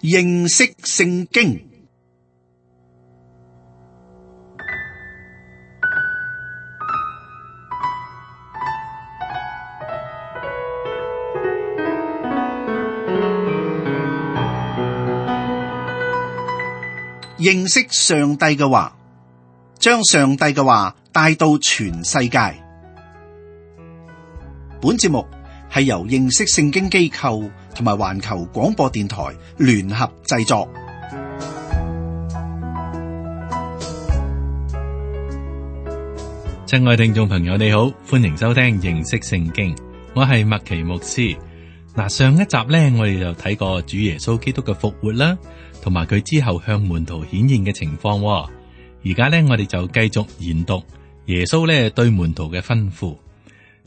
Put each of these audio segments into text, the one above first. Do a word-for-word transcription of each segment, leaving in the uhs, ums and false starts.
認識聖經。認識上帝嘅話，將上帝嘅話帶到全世界。本節目係由認識聖經機構同埋環球廣播電台聯合製作。親愛聽眾朋友，你好，歡迎收聽認識聖經。我係麥奇牧師。嗱，上一集呢，我哋就睇過主耶穌基督嘅復活啦，同埋佢之後向門徒顯現嘅情況。而家呢，我哋就繼續研讀耶穌呢對門徒嘅吩咐。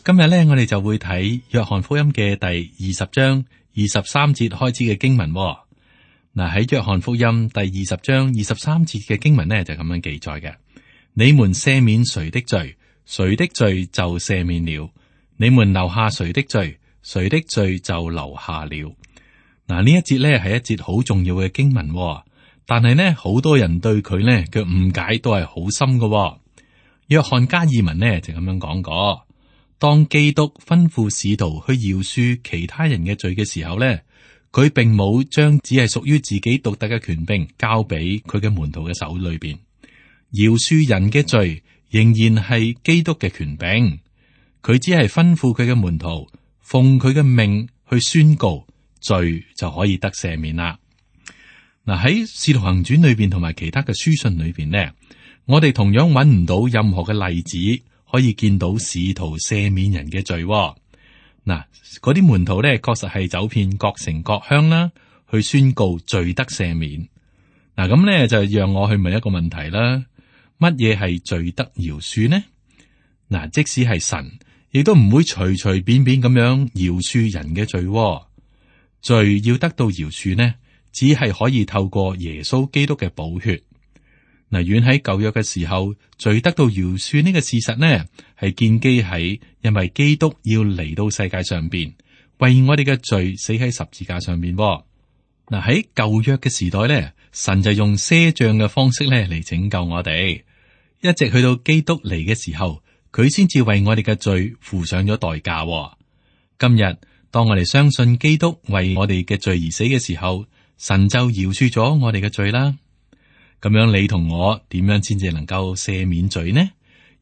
今日呢，我哋就會睇約翰福音嘅第二十章二十三節開始嘅經文。嗱，喺約翰福音第二十章二十三節嘅經文呢，就咁樣記載嘅：你們赦免誰的罪，誰的罪就赦免了；你們留下誰的罪，誰的罪就留下了。嗱，呢一節呢係一節好重要嘅經文，但係呢，好多人對佢呢嘅誤解都係好深嘅。約翰加爾文呢就咁樣講過：當基督吩咐使徒去饒恕其他人嘅罪嘅時候呢，佢並冇將只係屬於自己獨特嘅權柄交俾佢嘅門徒嘅手裏邊。饒恕人嘅罪仍然係基督嘅權柄，佢只係吩咐佢嘅門徒奉佢嘅命去宣告，罪就可以得赦免啦。嗱，喺《使徒行傳》裏邊同埋其他嘅書信裏邊呢，我哋同樣揾唔到任何嘅例子可以見到使徒赦免人嘅罪。嗱，嗰啲門徒呢，確實係走遍各城各鄉啦，去宣告罪得赦免。嗱，咁呢就讓我去問一個問題啦：乜嘢係罪得饒恕呢？嗱，即使係神，亦都唔會隨隨便便咁樣饒恕人嘅罪。罪要得到饒恕呢，只係可以透過耶穌基督嘅寶血。嗱，遠喺舊約嘅時候，罪得到饒恕呢個事實呢，係建基喺因為基督要嚟到世界上邊，為我哋嘅罪死喺十字架上邊。嗱，喺舊約嘅時代呢，神就用賒賬嘅方式咧嚟拯救我哋，一直去到基督嚟嘅時候，佢先至為我哋嘅罪付上咗代價。今日當我哋相信基督為我哋嘅罪而死嘅時候，神就饒恕咗我哋嘅罪啦。咁樣你同我點樣先至能夠赦免罪呢？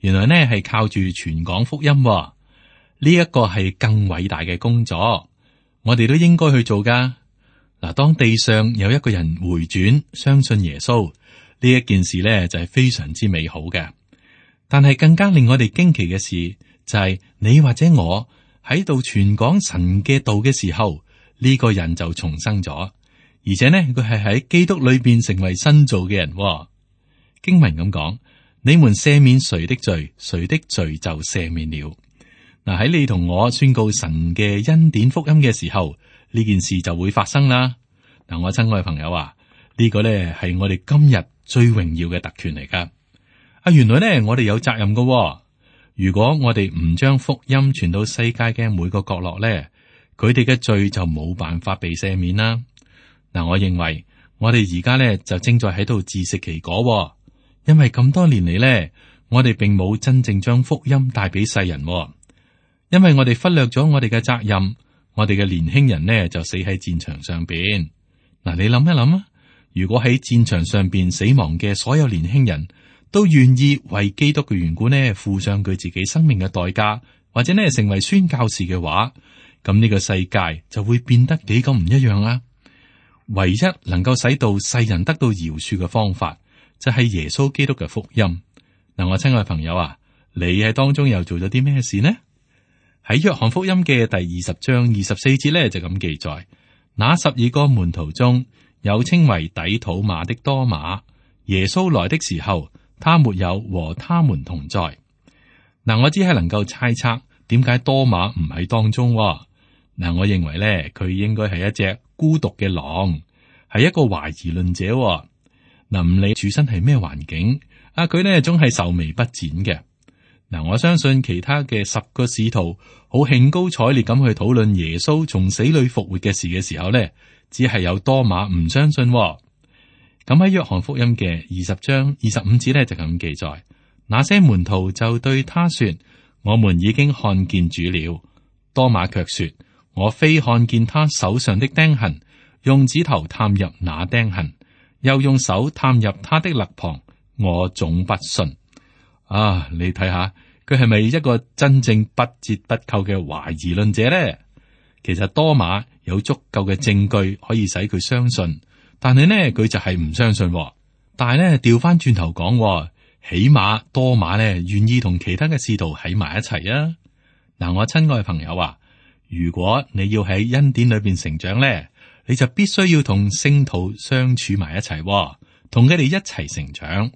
原來呢係靠住傳講福音，呢一個係更偉大嘅工作，我哋都應該去做噶。嗱，當地上有一個人回轉相信耶穌，呢一件事呢就係非常之美好嘅。但係更加令我哋驚奇嘅事就係你或者我喺度傳講神嘅道嘅時候，呢個人就重生咗，而且呢佢係喺基督裏邊成為新造嘅人。經文咁講：你們赦免誰的罪，誰的罪就赦免了。嗱，喺你同我宣告神嘅恩典福音嘅時候，呢件事就會發生啦。嗱，我親愛嘅朋友啊，呢個呢係我哋今日最榮耀嘅特權嚟噶。啊，原來呢我哋有責任噶。如果我哋唔將福音傳到世界嘅每個角落呢，佢哋嘅罪就冇辦法被赦免啦。嗱，我認為我哋而家呢就正在喺度自食其果，因為咁多年嚟呢，我哋並冇真正將福音帶俾世人，因為我哋忽略咗我哋嘅責任，我哋嘅年輕人呢就死喺戰場上邊。嗱，你諗一諗啊，如果喺戰場上邊死亡嘅所有年輕人都願意為基督嘅緣故呢付上佢自己生命嘅代價，或者呢成為宣教士嘅話，咁呢個世界就會變得幾咁唔一樣啦。唯一能夠使到世人得到饒恕嘅方法，就係耶穌基督嘅福音。嗱，我親愛朋友啊，你喺當中又做咗啲咩事呢？喺約翰福音嘅第二十章二十四節呢，就咁記載：那十二個門徒中有稱為底土馬的多馬，耶穌來的時候，他沒有和他們同在。嗱，我只係能夠猜測點解多馬唔喺當中。嗱，我認為咧，佢應該係一隻孤獨嘅狼，係一個懷疑論者。嗱，唔理處身係咩環境，啊，佢呢總係愁眉不展嘅。嗱，我相信其他嘅十個使徒好興高采烈咁去討論耶穌從死裏復活嘅事嘅時候呢，只係有多馬唔相信、哦。咁喺約翰福音嘅二十章二十五節咧就咁記載，那些門徒就對他說：我們已經看見主了。多馬卻說：我非看見他手上的釘痕，用指頭探入那釘痕，又用手探入他的肋旁，我總不信。啊，你睇下佢係咪一個真正不折不扣嘅懷疑論者呢？其實多馬有足夠嘅證據可以使佢相信。但係呢，佢就係唔相信、哦。但係呢，調翻轉頭講，起碼多馬呢願意同其他嘅使徒喺埋一齊啊！嗱，我親愛嘅朋友啊，如果你要喺恩典裏邊成長呢，你就必須要同聖徒相處埋一齊、哦，同佢哋一齊成長。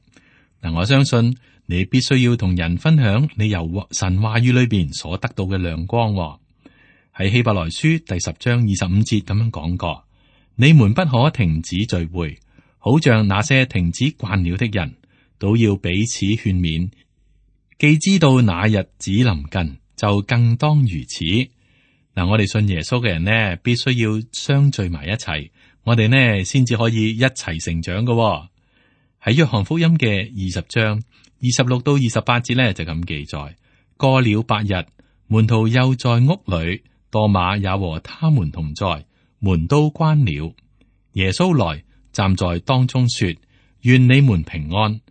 嗱，我相信你必須要同人分享你由神話語裏邊所得到嘅亮光、哦。喺希伯來書第十章二十五節咁樣講過。你們不可停止聚會，好像那些停止慣了的人，都要彼此勸勉。既知道那日子臨近，就更當如此。嗱，我哋信耶穌嘅人呢，必須要相聚埋一齊，我哋呢先至可以一齊成長嘅。喺約翰福音嘅二十章二十六到二十八節呢，就咁記載：過了八日，門徒又在屋裏，多馬也和他們同在。門都關了，耶穌來站在當中說：願你們平安。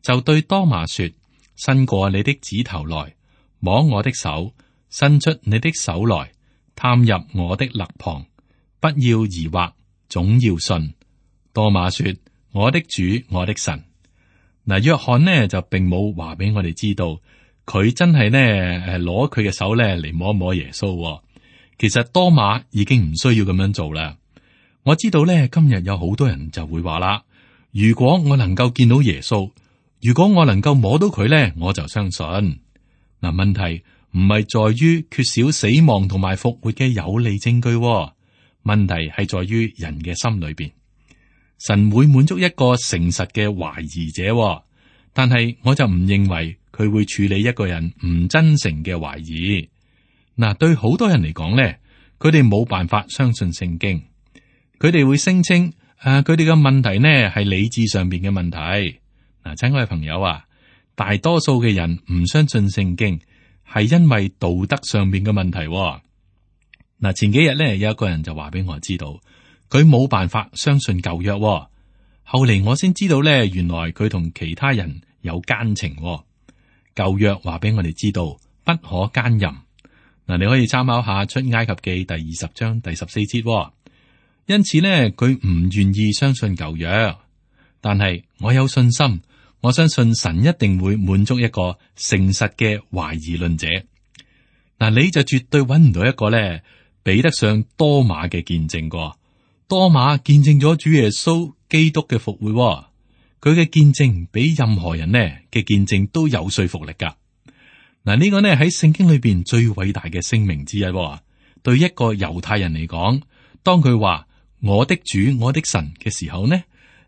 就對多馬說：伸過你的指頭來，摸我的手；伸出你的手來，探入我的肋旁。不要疑惑，總要信。多馬說：我的主，我的神。嗱，約翰呢就並冇話俾我哋知道，佢真係呢誒攞佢嘅手咧嚟摸一摸耶穌。其實多馬已經唔需要咁樣做啦。我知道咧，今日有好多人就會話啦：如果我能夠見到耶穌，如果我能夠摸到佢咧，我就相信。嗱，問題唔係在於缺少死亡同埋復活嘅有利證據，問題係在於人嘅心裏邊。神會滿足一個誠實嘅懷疑者，但係我就唔認為佢會處理一個人唔真誠嘅懷疑。嗱，對好多人嚟講咧，佢哋冇辦法相信聖經，佢哋會聲稱誒，佢哋嘅問題呢係理智上邊嘅問題。嗱，親愛嘅朋友啊，大多數嘅人唔相信聖經，係因為道德上邊嘅問題。嗱，前幾日咧有一個人就話俾我知道，佢冇辦法相信舊約。後嚟我先知道咧，原來佢同其他人有奸情。舊約話俾我哋知道，不可奸淫。嗱，你可以參考下出埃及記第二十章第十四節。因此呢，佢唔願意相信舊約，但係我有信心，我相信神一定會滿足一個誠實嘅懷疑論者。嗱，你就絕對揾唔到一個咧比得上多馬嘅見證過。多馬見證咗主耶穌基督嘅復活，佢嘅見證比任何人呢嘅見證都有說服力噶。嗱，呢個呢喺聖經裏邊最偉大嘅聲明之一。對一個猶太人嚟講，當佢話我的主我的神嘅時候呢，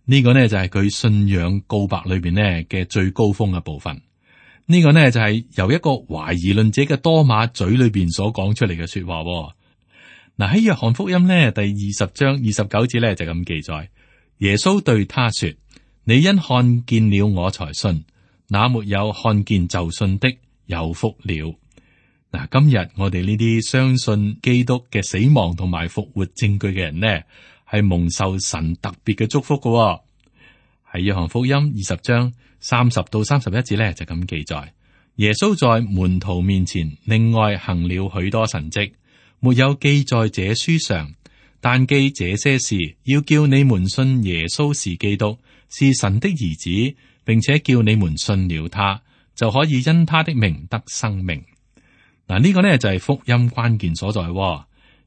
呢個呢就係佢信仰告白裏邊呢嘅最高峰嘅部分。呢個呢就係由一個懷疑論者嘅多馬嘴裏邊所講出嚟嘅說話。嗱，喺約翰福音呢第二十章二十九節呢就咁記載，耶穌對他說：你因看見了我才信，那沒有看見就信的有福了。嗱，今日我哋呢啲相信基督嘅死亡同埋復活證據嘅人呢，係蒙受神特別嘅祝福嘅、哦。喺約翰福音二十章三十到三十一節呢，就咁記載，耶穌在門徒面前另外行了許多神蹟，沒有記在這書上，但記這些事，要叫你們信耶穌是基督，是神的兒子，並且叫你們信了他，就可以因他的名得生命。嗱，呢個呢就係福音關鍵所在。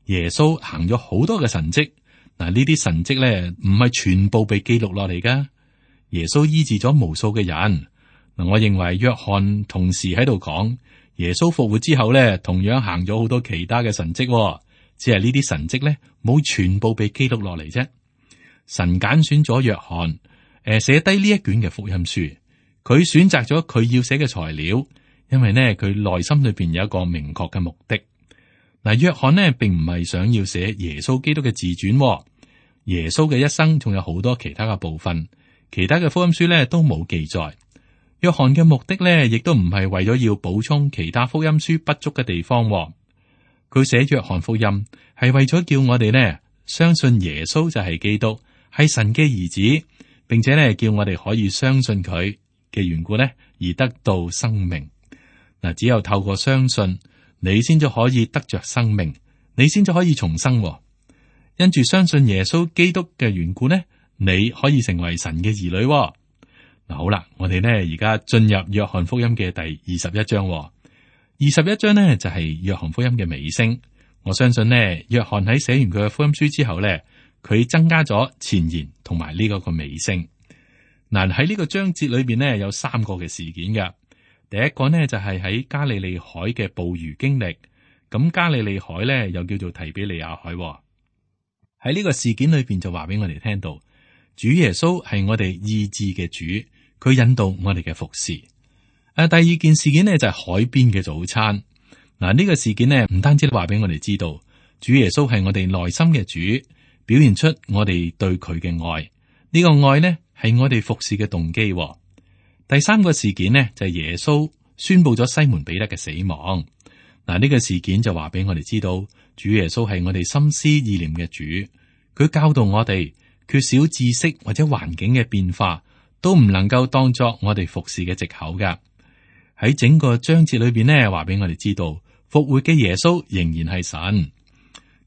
耶穌行咗好多嘅神蹟，嗱，呢啲神蹟呢唔係全部被記錄落嚟噶。耶穌醫治咗無數嘅人。嗱，我認為約翰同時喺度講，耶穌復活之後呢，同樣行咗好多其他嘅神蹟，只係呢啲神蹟呢冇全部被記錄落嚟啫。神揀選咗約翰，誒，寫低呢一卷嘅福音書。佢選擇咗佢要寫嘅材料，因為呢佢內心裏邊有一個明確嘅目的。嗱，約翰呢並唔係想要寫耶穌基督嘅自傳，耶穌嘅一生仲有好多其他嘅部分，其他嘅福音書咧都冇記載。約翰嘅目的咧，亦都唔係為咗要補充其他福音書不足嘅地方。佢寫約翰福音係為咗叫我哋呢相信耶穌就係基督，係神嘅兒子，並且咧叫我哋可以相信佢嘅緣故咧，而得到生命。嗱，只有透過相信，你先至可以得着生命，你先至可以重生。因住相信耶穌基督嘅緣故呢，你可以成為神嘅兒女。嗱，好啦，我哋呢而家進入約翰福音嘅第二十一章。二十一章呢就係約翰福音嘅尾聲。我相信呢，約翰喺寫完佢嘅福音書之後呢，佢增加咗前言同埋呢個個尾聲。嗱，喺呢個章節裏邊呢，有三個嘅事件嘅。第一個呢就係喺加利利海嘅捕魚經歷。咁加利利海呢又叫做提比利亞海。喺呢個事件裏邊就話俾我哋聽到，主耶穌係我哋意志嘅主，佢引導我哋嘅服侍。誒，第二件事件呢就係海邊嘅早餐。嗱，呢個事件呢唔單止話俾我哋知道，主耶穌係我哋內心嘅主，表現出我哋對佢嘅愛。呢個愛呢係我哋服侍嘅動機。第三個事件呢就係耶穌宣布咗西門彼得嘅死亡。嗱，呢個事件就話俾我哋知道，主耶穌係我哋心思意念嘅主，佢教導我哋缺少知識或者環境嘅變化都唔能夠當作我哋服侍嘅藉口噶。喺整個章節裏邊呢，話俾我哋知道復活嘅耶穌仍然係神。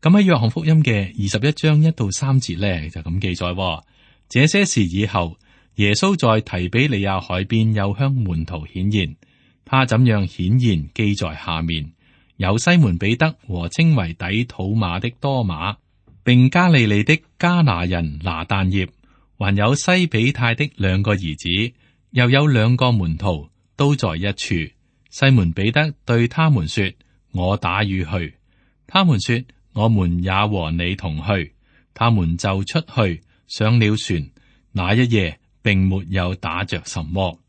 咁喺約翰福音嘅二十一章一到三節呢，就咁記載：這些事以後，耶穌在提比利亞海邊又向門徒顯現，他怎樣顯現記在下面。有西門彼得和稱為底土馬的多馬，並加利利的加拿人拿但業，還有西比泰的兩個兒子，又有兩個門徒。都在一處。西門彼得對他們說：我打魚去。他們說：我們也和你同去。他們就出去上了船。那一夜並沒有打着什麼。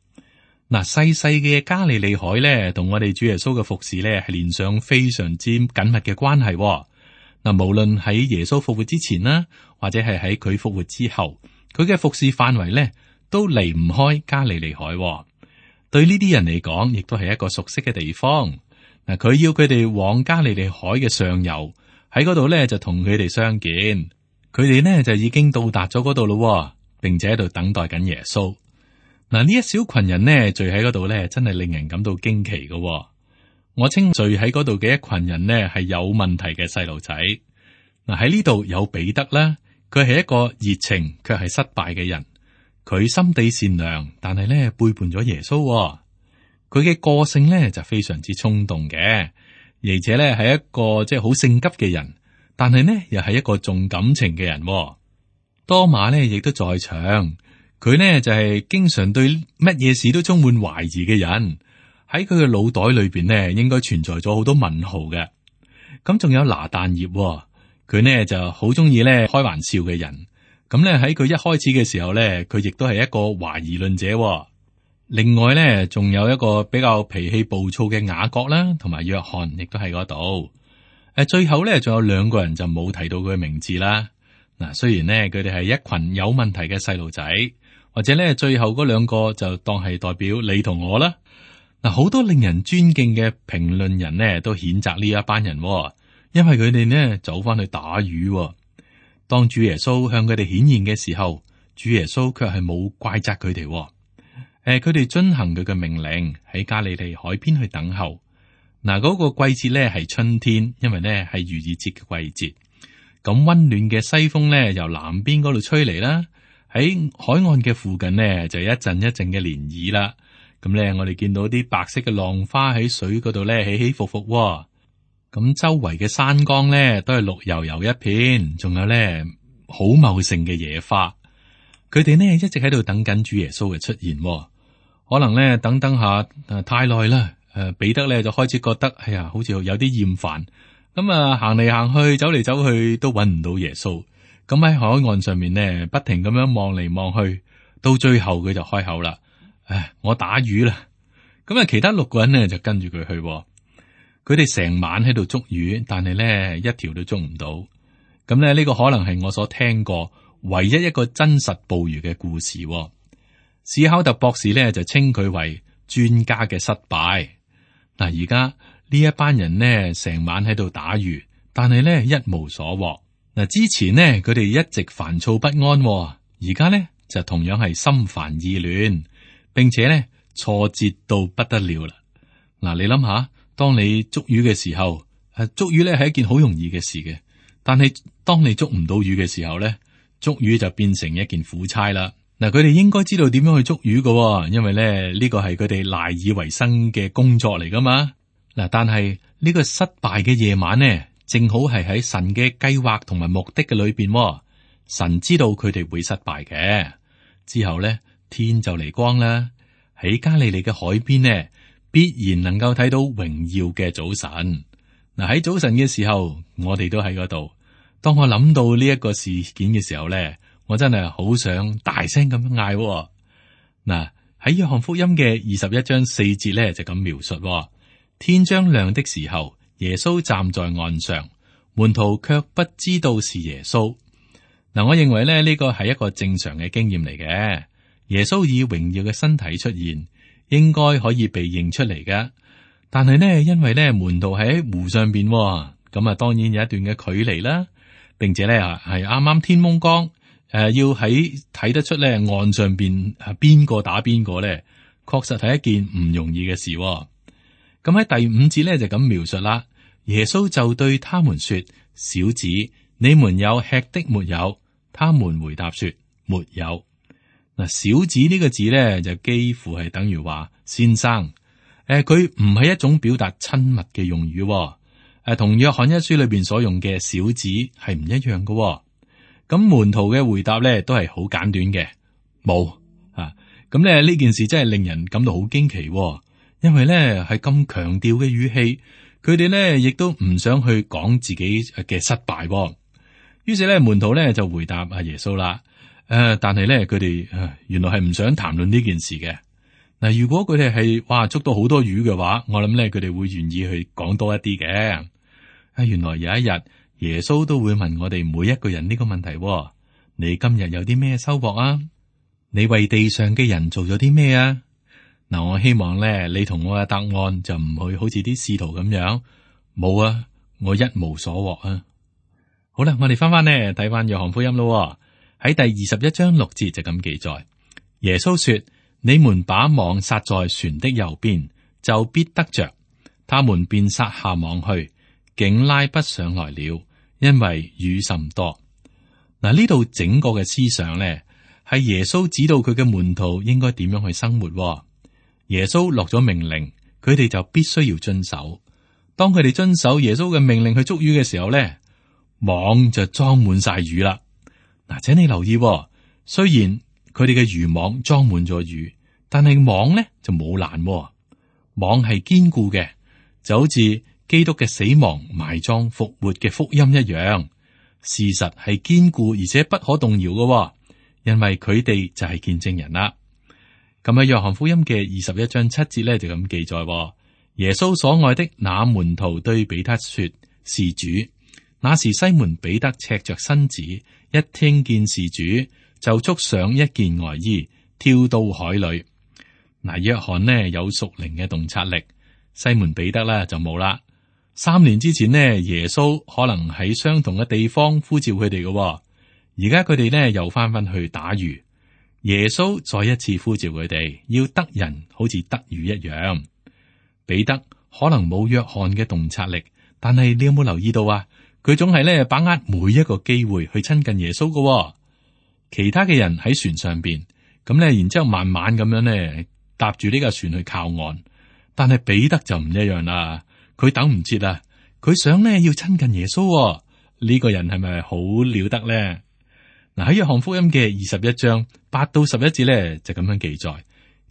嗱，細細嘅加利利海咧，同我哋主耶穌嘅服侍咧，係連上非常之緊密嘅關係。嗱，無論喺耶穌復活之前啦，或者係喺佢復活之後，佢嘅服侍範圍咧，都離唔開加利利海。對呢啲人嚟講，亦都係一個熟悉嘅地方。嗱，佢要佢哋往加利利海嘅上游，喺嗰度咧就同佢哋相見。佢哋呢就已經到達咗嗰度咯，並且喺度等待緊耶穌。嗱，呢一小群人呢聚喺嗰度咧，真係令人感到驚奇嘅。我稱聚喺嗰度嘅一群人呢係有問題嘅細路仔。嗱，喺呢度有彼得啦，佢係一個熱情卻係失敗嘅人。佢心地善良，但係咧背叛咗耶穌。佢嘅個性咧就非常之衝動嘅，而且咧係一個即係好性急嘅人，但係呢又係一個重感情嘅人。多馬咧亦都在場，佢呢就係經常對乜嘢事都充滿懷疑嘅人。喺佢嘅腦袋裏邊呢，應該存在咗好多問號嘅。咁仲有拿但業，佢呢就好中意咧開玩笑嘅人。咁咧喺佢一開始嘅時候咧，佢亦都係一個懷疑論者。另外咧，仲有一個比較脾氣暴躁嘅雅各啦，同埋約翰，亦都喺嗰度。誒，最後咧，仲有兩個人就冇提到佢嘅名字啦。嗱，雖然咧佢哋係一群有問題嘅細路仔，或者咧最後嗰兩個就當係代表你同我啦。嗱，好多令人尊敬嘅評論人呢都譴責呢一班人，因為佢哋呢走翻去打魚。當主耶穌向佢哋顯現嘅時候，主耶穌卻係冇怪責佢哋。誒、呃，佢哋遵行佢嘅命令，喺加利利海邊去等候。嗱，嗰個季節咧係春天，因為咧係逾越節嘅季節。咁溫暖嘅西風咧由南邊嗰度吹嚟啦，喺海岸嘅附近呢，就一陣一陣嘅漣漪啦。咁咧我哋見到啲白色嘅浪花喺水嗰度咧起起伏伏。咁周圍嘅山崗咧都係綠油油一片，仲有咧好茂盛嘅野花。佢哋呢一直喺度等緊主耶穌嘅出現。可能咧等等下誒太耐啦，誒彼得咧就開始覺得哎呀，好似有啲厭煩。咁啊行嚟行去，走嚟走去都揾唔到耶穌。咁喺海岸上面呢，不停咁樣望嚟望去，到最後佢就開口啦：唉，我打魚啦。咁啊，其他六個人呢就跟住佢去。佢哋成晚喺度捉魚，但係咧一條都捉唔到。咁咧呢個可能係我所聽過唯一一個真實捕魚嘅故事。史考特博士咧就稱佢為專家嘅失敗。嗱，而家呢一班人呢，成晚喺度打魚，但係咧一無所獲。嗱，之前呢，佢哋一直煩躁不安，而家呢，就同樣係心煩意亂，並且咧挫折到不得了啦。嗱，你諗下，當你捉魚嘅時候，誒，捉魚咧係一件好容易嘅事嘅，但係當你捉唔到魚嘅時候咧，捉魚就變成一件苦差啦。嗱，佢哋應該知道點樣去捉魚㗎，因為咧呢個係佢哋賴以為生嘅工作嚟噶嘛。嗱，但係呢個失敗嘅夜晚呢，正好係喺神嘅計劃同埋目的嘅裏邊。神知道佢哋會失敗嘅，之後咧天就嚟光啦。喺加利利嘅海邊呢，必然能夠睇到榮耀嘅早晨。嗱，喺早晨嘅時候，我哋都喺嗰度。當我諗到呢一個事件嘅時候咧，我真係好想大聲咁樣嗌。嗱，喺約翰福音嘅二十一章四節咧就咁描述：天將亮的時候，耶穌站在岸上，門徒卻不知道是耶穌。嗱，我認為咧呢個係一個正常嘅經驗嚟嘅。耶穌以榮耀嘅身體出現，應該可以被認出嚟嘅。但係呢，因為咧門徒喺湖上邊，咁啊當然有一段嘅距離啦，並且咧係啱啱天蒙光，誒、呃、要喺睇得出咧岸上邊係邊個打邊個咧，確實係一件唔容易嘅事。咁喺第五節咧就咁描述啦。耶穌就對他們說：小子，你們有吃的沒有？他們回答說：沒有。嗱，小子呢個字咧就幾乎係等於話先生。誒，佢唔係一種表達親密嘅用語。誒，同約翰一書裏邊所用嘅小子係唔一樣嘅。咁門徒嘅回答咧都係好簡短嘅，冇啊。咁咧呢件事真係令人感到好驚奇，因為咧係咁強調嘅語氣，佢哋咧亦都唔想去講自己嘅失敗。於是咧，門徒咧就回答阿耶穌啦。誒、呃，但係咧，佢哋誒原來係唔想談論呢件事嘅。嗱，如果佢哋係哇捉到好多魚嘅話，我諗咧佢哋會願意去講多一啲嘅。啊，原來有一日耶穌都會問我哋每一個人呢個問題：你今日有啲咩收穫啊？你為地上嘅人做咗啲咩啊？嗱，我希望咧你同我嘅答案就唔會好似啲使徒咁樣，冇啊，我一無所獲啊。好啦，我哋翻翻呢睇翻約翰福音咯，喺第二十一章六節就咁記載，耶穌說：你們把網撒在船的右邊，就必得着。他們便撒下網去，竟拉不上來了，因為魚甚多。嗱，呢度整個嘅思想咧，係耶穌指導佢嘅門徒應該點樣去生活。耶穌落咗命令，佢哋就必須要遵守。當佢哋遵守耶穌嘅命令去捉魚嘅時候咧，網就裝滿晒魚啦。嗱，請你留意，雖然佢哋嘅漁網裝滿咗魚，但係網咧就冇爛。網係堅固嘅，就好似基督嘅死亡、埋葬、復活嘅福音一樣。事實係堅固而且不可動搖嘅，因為佢哋就係見證人啦。咁喺約翰福音嘅二十一章七節咧就咁記載，耶穌所愛的那門徒對彼得說：是主。那時西門彼得赤着身子，一聽見是主，就束上一件外衣，跳到海裏。嗱，約翰呢有屬靈嘅洞察力，西門彼得咧就冇啦。三年之前呢，耶穌可能喺相同嘅地方呼召佢哋嘅，而家佢哋呢又翻返去打魚。耶穌再一次呼召佢哋，要得人好似得魚一樣。彼得可能冇約翰嘅洞察力，但係你有冇留意到啊？佢總係咧把握每一個機會去親近耶穌嘅。其他嘅人喺船上邊，咁咧，然之後慢慢咁樣咧搭住呢架船去靠岸。但係彼得就唔一樣啦，佢等唔切啦，佢想咧要親近耶穌。呢個人係咪好了得咧？嗱，喺約翰福音嘅二十一章八到十一節咧就咁樣記載，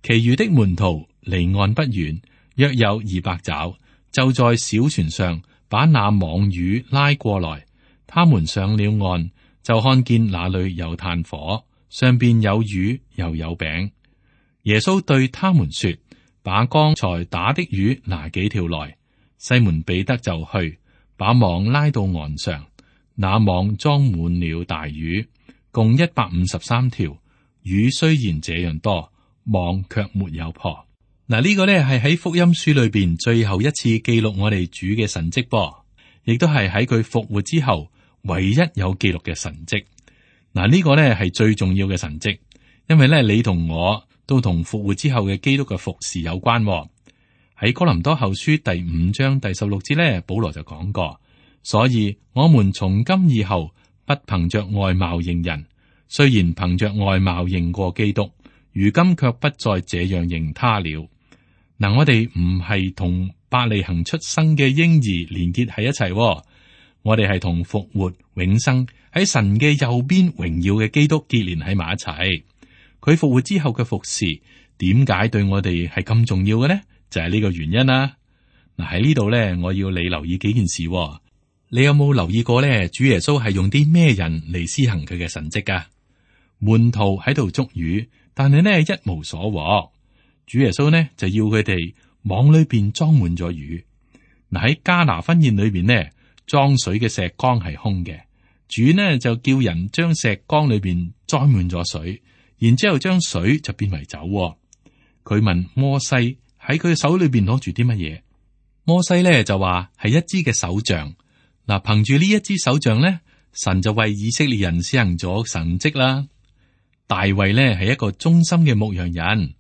其餘的門徒離岸不遠，約有二百肘，就在小船上把那網魚拉過來。他們上了岸，就看見那裏有炭火，上邊有魚又有餅。耶穌對他們說：把剛才打的魚拿幾條來。西門彼得就去把網拉到岸上，那網裝滿了大魚，共一百五十三條。雨雖然這樣多，網卻沒有破。嗱，呢個呢係喺福音書裏邊最後一次記錄我哋主嘅神蹟噃，亦都係喺佢復活之後唯一有記錄嘅神蹟。嗱，呢個呢係最重要嘅神蹟，因為咧你同我都同復活之後嘅基督嘅服侍有關。喺哥林多後書第五章第十六節咧，保羅就講過，所以我們從今以後不憑着外貌認人，雖然憑着外貌認過基督，如今卻不再這樣認他了。嗱，我哋唔係同伯利恆出生嘅嬰兒連結喺一齊，我哋係同復活永生喺神嘅右邊榮耀嘅基督結連喺埋一齊。佢復活之後嘅服侍，點解對我哋係咁重要嘅呢？就係呢個原因啦。嗱，喺呢度咧，我要你留意幾件事。你有冇留意過咧？主耶穌係用啲咩人嚟施行佢嘅神蹟噶？門徒喺度捉魚，但係呢一無所獲。主耶穌呢就要佢哋網裏邊裝滿咗魚。嗱，喺迦拿婚宴裏邊呢，裝水嘅石缸係空嘅，主呢就叫人將石缸裏邊裝滿咗水，然之後將水就變為酒。佢問摩西喺佢手裏邊攞住啲乜嘢？摩西呢就話係一支嘅手杖。嗱，憑住呢一支手杖呢，神就為以色列人施行咗神蹟啦。大衛呢係一個忠心嘅牧羊人，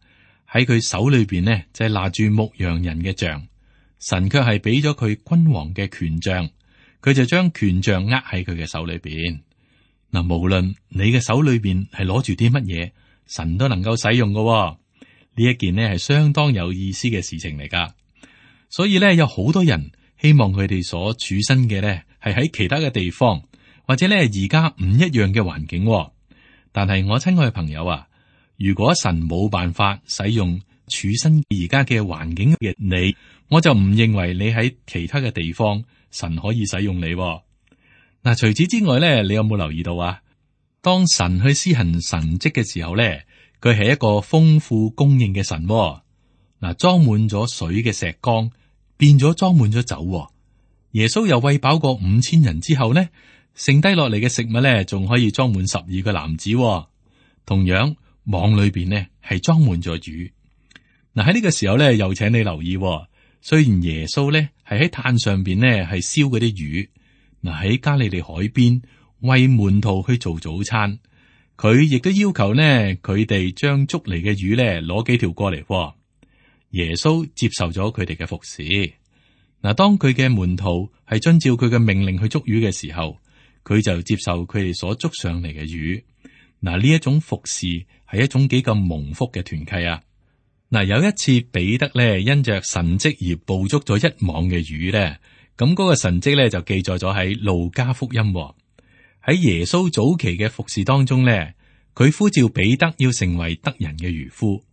喺佢手裏邊呢就係拿住牧羊人嘅杖，神卻係俾咗佢君王嘅權杖，佢就將權杖握喺佢嘅手裏邊。嗱，無論你嘅手裏邊係攞住啲乜嘢，神都能夠使用嘅。呢一件呢係相當有意思嘅事情嚟噶，所以呢，有好多人希望佢哋所處身嘅呢係喺其他嘅地方，或者呢而家唔一樣嘅環境。但係我親愛嘅朋友啊，如果神冇辦法使用處身而家嘅環境嘅你，我就唔認為你喺其他嘅地方神可以使用你。嗱，除此之外呢，你有冇留意到啊？當神去施行神蹟嘅時候呢，佢係一個豐富供應嘅神。嗱，裝滿咗水嘅石缸變咗裝滿咗酒。耶穌又餵飽過五千人之後呢，剩低落嚟嘅食物呢，仲可以裝滿十二個男子。同樣網裏邊呢係裝滿咗魚。嗱，喺呢個時候呢，又請你留意，雖然耶穌呢係喺炭上邊呢係燒嗰啲魚，嗱，喺加利利海邊為門徒去做早餐。佢亦都要求呢，佢哋將捉嚟嘅魚呢攞幾條過嚟。耶穌接受咗佢哋嘅服侍。嗱，當佢嘅門徒係遵照佢嘅命令去捉魚嘅時候，佢就接受佢哋所捉上嚟嘅魚。嗱，呢一種服侍係一種幾咁蒙福嘅團契啊！嗱，有一次彼得咧因着神蹟而捕捉咗一網嘅魚咧，咁嗰個神蹟咧就記載咗喺路加福音。喺耶穌早期嘅服侍當中咧，佢呼召彼得要成為得人嘅漁夫。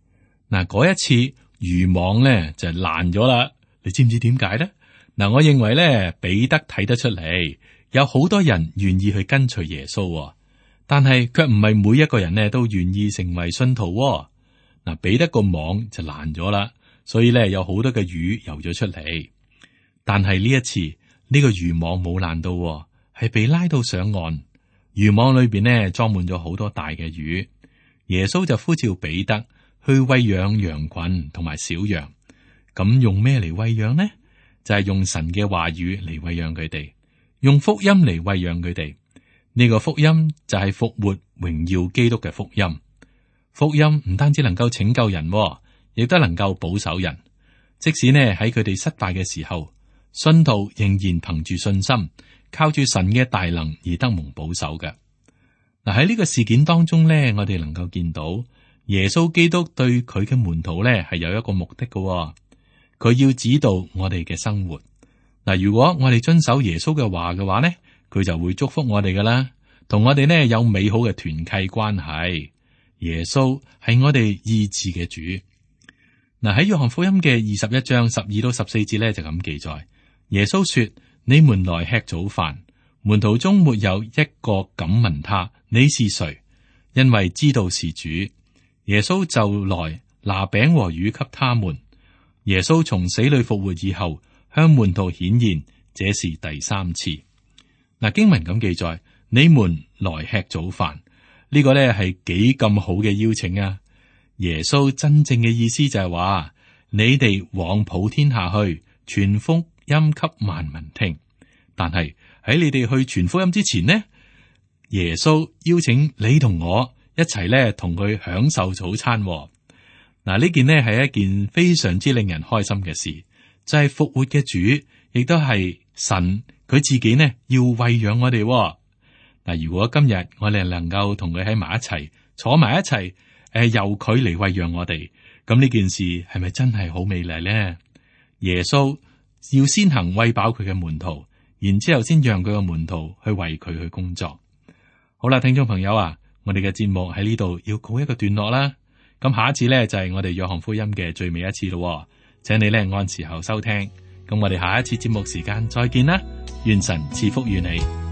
嗱，嗰一次漁網咧就爛咗啦，你知唔知點解咧？嗱，我認為咧彼得睇得出嚟，有好多人願意去跟隨耶穌，但係卻唔係每一個人咧都願意成為信徒。嗱，彼得個網就爛咗啦，所以咧有好多嘅魚游咗出嚟。但係呢一次呢個漁網冇爛到，係被拉到上岸。漁網裏邊呢裝滿咗好多大嘅魚。耶穌就呼召彼得去餵養羊群同埋小羊。咁用咩嚟餵養呢？就係用神嘅話語嚟餵養佢哋，用福音嚟餵養佢哋。呢個福音就係復活榮耀基督嘅福音。福音唔單止能夠拯救人，亦都能夠保守人。即使呢喺佢哋失敗嘅時候，信徒仍然憑住信心，靠住神嘅大能而得蒙保守嘅。嗱，喺呢個事件當中呢，我哋能夠見到耶穌基督對佢嘅門徒呢係有一個目的嘅。佢要指導我哋嘅生活。嗱，如果我哋遵守耶穌嘅話嘅話呢，佢就會祝福我哋噶啦，同我哋呢有美好嘅團契關係。耶穌係我哋醫治嘅主。嗱，喺約翰福音嘅二十一章十二到十四節呢，就咁記載，耶穌說：你們來吃早飯。門徒中沒有一個敢問他你是誰，因為知道是主。耶穌就來拿餅和魚給他們。耶穌從死裏復活以後，向門徒顯現，這是第三次。嗱，經文咁記載，你們來吃早飯。呢個咧係幾咁好嘅邀請啊！耶穌真正嘅意思就係話，你哋往普天下去，傳福音給萬民聽。但係喺你哋去傳福音之前呢，耶穌邀請你同我一齊咧同佢享受早餐。嗱，呢件呢係一件非常之令人開心嘅事，就係復活嘅主，亦都係神佢自己呢要餵養我哋。嗱，如果今日我哋能夠同佢喺埋一齊，坐埋一齊，誒，由佢嚟餵養我哋，咁呢件事係咪真係好美麗呢？耶穌要先行餵飽佢嘅門徒，然之後先讓佢嘅門徒去為佢去工作。好啦，聽眾朋友啊，我哋嘅節目喺呢度要告一個段落啦。咁下一次呢，就係我哋約翰福音嘅最尾一次咯，請你呢按時候收聽。咁我哋下一次節目時間再見啦，願神賜福於你。